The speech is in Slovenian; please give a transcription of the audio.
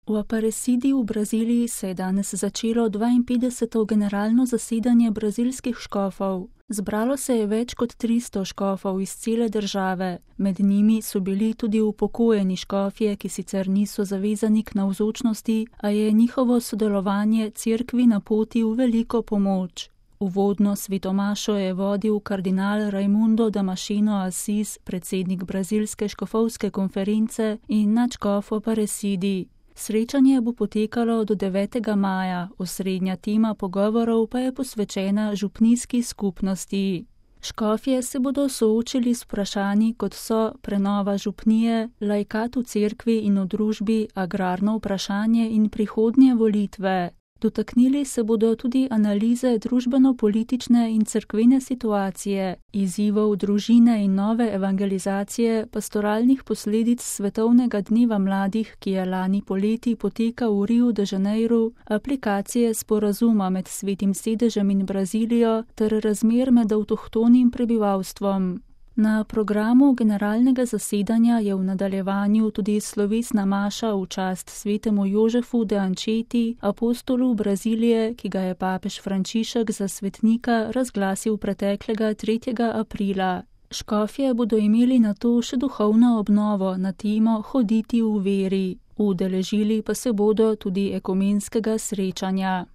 V Aparecidi v Braziliji se je danes začelo 52. generalno zasedanje brazilskih škofov. Zbralo se je več kot 300 škofov iz cele države, med njimi so bili tudi upokojeni škofje, ki sicer niso zavezani k navzočnosti, a je njihovo sodelovanje cerkvi na poti v veliko pomoč. Uvodno svetomašo je vodil kardinal Raimundo Damasceno Assis, predsednik brazilske škofovske konference in nadškof v Aparecidi. Srečanje bo potekalo do 9. maja, osrednja tema pogovorov pa je posvečena župnijski skupnosti. Škofje se bodo soočili s vprašanji, kot so prenova župnije, laikat v cerkvi in v družbi, agrarno vprašanje in prihodnje volitve. Dotaknili se bodo tudi analize družbeno-politične in cerkvene situacije, izzivov družine in nove evangelizacije, pastoralnih posledic Svetovnega dneva mladih, ki je lani poleti potekal v Riu de Janeiru, aplikacije sporazuma med Svetim sedežem in Brazilijo ter razmer med avtohtonim prebivalstvom. Na programu generalnega zasedanja je v nadaljevanju tudi slovesna maša v čast svetemu Jožefu de Ančeti, apostolu Brazilije, ki ga je papež Frančišek za svetnika razglasil preteklega 3. aprila. Škofje bodo imeli nato še duhovno obnovo na temo Hoditi v veri. Udeležili pa se bodo tudi ekumenskega srečanja.